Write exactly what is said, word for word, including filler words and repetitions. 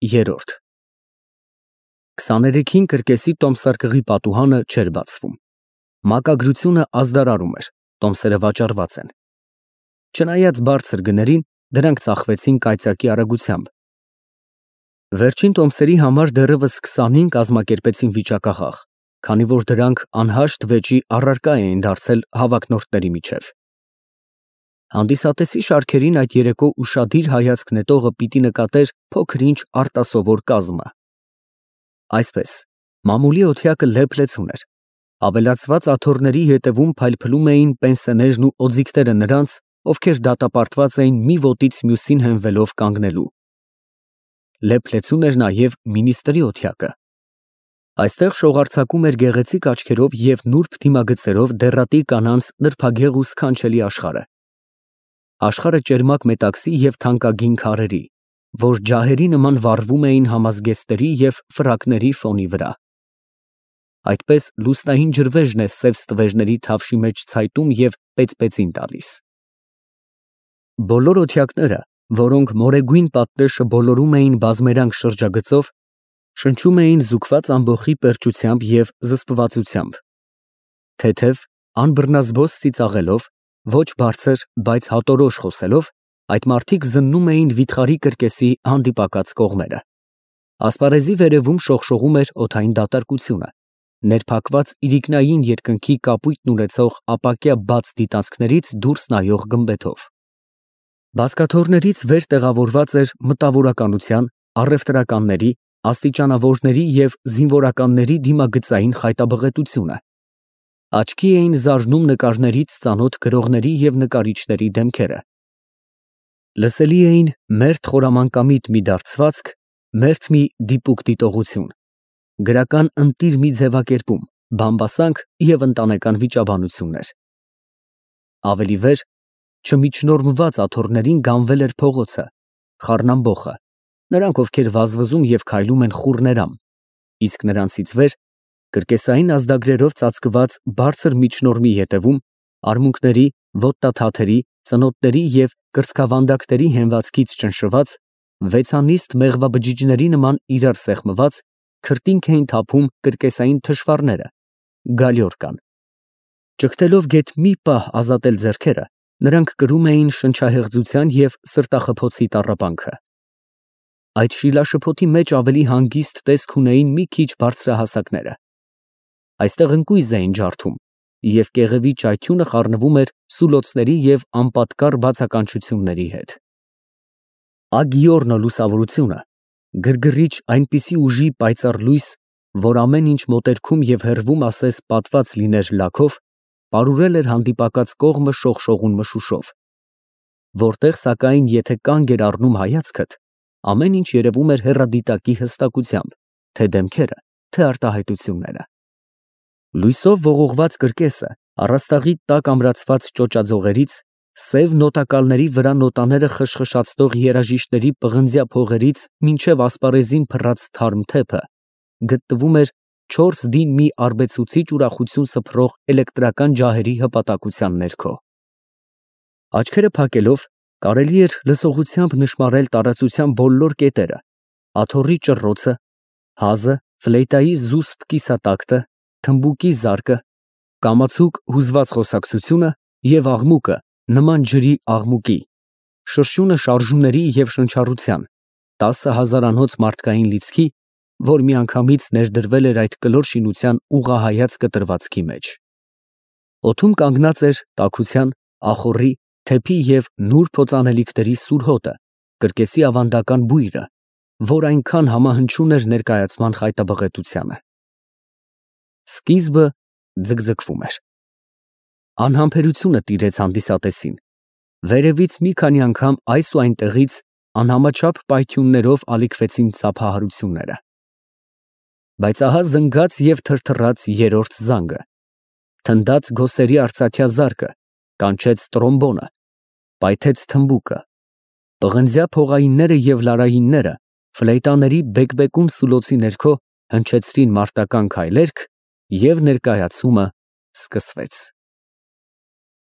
Երրորդ քսաներեքին կրկեսի տոմսարկղի պատուհանը չէր բացվում։ Մակագրությունը ազդարարում էր, տոմսերը վաճառված են։ Չնայած բարձր գներին, դրանք ծախվեցին կայծակի արագությամբ։ Վերջին տոմսերի համար դեռևս քսանին կազմակերպեցին վիճակախաղ, քանի որ դրանք անհաշտ վեճի առարկա էին դարձել հավակնորդների միջև։ Հանդիսատեսի շարքերին այդ երեկո ուշադիր հայացք նետողը պիտի նկատեր փոքր-ինչ արտասովոր կազմը։ Այսպես, մամուլի օթյակը լեփ-լեցուն էր, ավելացված աթոռների ետևում փայլփլում էին պենսեներն ու օձիքները նրանց, ովքեր դատապարտված էին մի ոտից մյուսին հենվելով կանգնելու։ Լեփ-լեցուն էր նաև մինիստրի օթյակը։ Այստեղ շողարցակում էր գեղեցիկ աչքերով և նուրբ դիմագծերով դեռատի կանանց նրբագեղ ու սքանչելի աշխարհը։ Աշխարհը ճերմակ մետաքսի և թանկագին քարերի, որ ջահերի նման վառվում էին համազգեստերի և ֆրակների ֆոնի վրա։ Այդպես լուսնային ջրվեժն է սև ստվերների թավշի մեջ ցայտում և պեծպեցին տալիս։ Բոլոր օթյակները, որոնք մորեգույն պատնեշը բոլորում էին բազմերանգ շրջագծով, շնչում էին զուգված ամբոխի պերճությամբ և զսպվածությամբ։ Թեթև, անբռնազբոս ծիծաղելով, ոչ բարձր, բայց հատորոշ խոսելով, այդ մարդիկ զննում էին վիթխարի կրկեսի հանդիպակաց կողմերը։ Ասպարեզի վերևում շողշողում էր օդային դատարկությունը, ներփակված իրիկնային երկնքի կապույտն ունեցող ապակյա բաց դիտանցքներից դուրս նայող գմբեթով։ Բազկաթոռներից վեր տեղավորված էր մտավորականության, առևտրականների, աստիճանավորների և զինվորականների դիմագծային խայտաբղետությունը։ Աչքի էին զարնում նկարներից ծանոթ գրողների և նկարիչների դեմքերը։ Լսելի էին մերթ խորամանկամիտ մի դարձվածք, մերթ մի դիպուկ դիտողություն, գրական ընտիր մի ձևակերպում, բամբասանք և ընտանեկան վիճաբանություններ։ Ավելի վեր, չմիջնորմված աթոռներին գանվել էր փողոցը, խառնամբոխը, նրանք, ովքեր վազվզում և քայլում են խուռներամ, իսկ նրանցից վեր, կրկեսային ազդագրերով ծածկված բարձր միջնորմի ետևում, արմունկների, ոտնաթաթերի, ծնոտների և կրծքավանդակների հենվածքից ճնշված, վեցանիստ մեղվաբջիջների նման իրար սեղմված, քրտինք էին թափում կրկեսային թշվառները, գալյորկան։ Ճգտելով գեթ մի պահ ազատել ձեռքերը, նրանք կրում էին շնչահեղձության և սրտախփոցի տառապանքը։ Այդ շիլաշփոթի մեջ ավելի հանգիստ տեսք ունեին մի քիչ բարձրահասակները։ Այստեղ ընկույզ էին ջարդում, և կեղևի ճայթյունը խառնվում էր սուլոցների և անպատկառ բացականչությունների հետ։ Ագիորնո լուսավորությունը, գրգռիչ այնպիսի ուժի պայծառ լույս, որ ամեն ինչ մոտերքում և հեռվում ասես պատված լիներ լաքով, պարուրել էր հանդիպակաց կողմը շողշողուն մշուշով, որտեղ, սակայն, եթե կանգ էր առնում հայացքդ, ամեն ինչ երևում էր հեռադիտակի հստակությամբ, թե դեմքերը, թե արտահայտությունները։ Լույսով ողողված կրկեսը, առաստաղի տակ ամրացված ճոճաձողերից, սև նոտակալների վրա նոտաները խշխշացնող երաժիշտների պղնձյա փողերից մինչև ասպարեզին փռած թարմ թեփը, գտնվում էր չորս դին մի արբեցուցիչ ուրախություն սփռող էլեկտրական ջահերի հպատակության ներքո։ Աչքերը փակելով, կարելի էր լսողությամբ նշմարել տարածության բոլոր կետերը, աթոռի ճռռոցը, հազը, ֆլեյտայի զուսպ կիսատակտը, թմբուկի զարկը, կամացուկ հուզված խոսակցությունը և աղմուկը նման ջրի աղմուկի, շրշյունը շարժումների և շնչառության, տասը հազարանոց մարդկային լիցքի, որ միանգամից ներդրվել էր այդ կլոր շինության ուղղահայաց կտրվածքի մեջ։ Օդում կանգնած էր տաքության, ախոռի, թեփի և նուրբ օծանելիքների սուր հոտը, կրկեսի ավանդական բույրը, որ այնքան համահնչյուն էր ներկայացման խայտաբղետությանը։ Սկիզբը ձգձգվում էր։ Անհամբերությունը տիրեց հանդիսատեսին, վերևից մի քանի անգամ այս ու այնտեղից անհամաչափ պայթյուններով ալիքվեցին ծափահարությունները։ Բայց ահա զնգաց և թրթռաց երրորդ զանգը, թնդաց գոսերի արծաթյա զարկը, կանչեց տրոմբոնը, պայթեց թմբուկը, պղնձյա փողայինները և լարայինները ֆլեյտաների բեկբեկուն սուլոցի ներքո հնչեցրին մարտական քայլերգ, և ներկայացումը սկսվեց։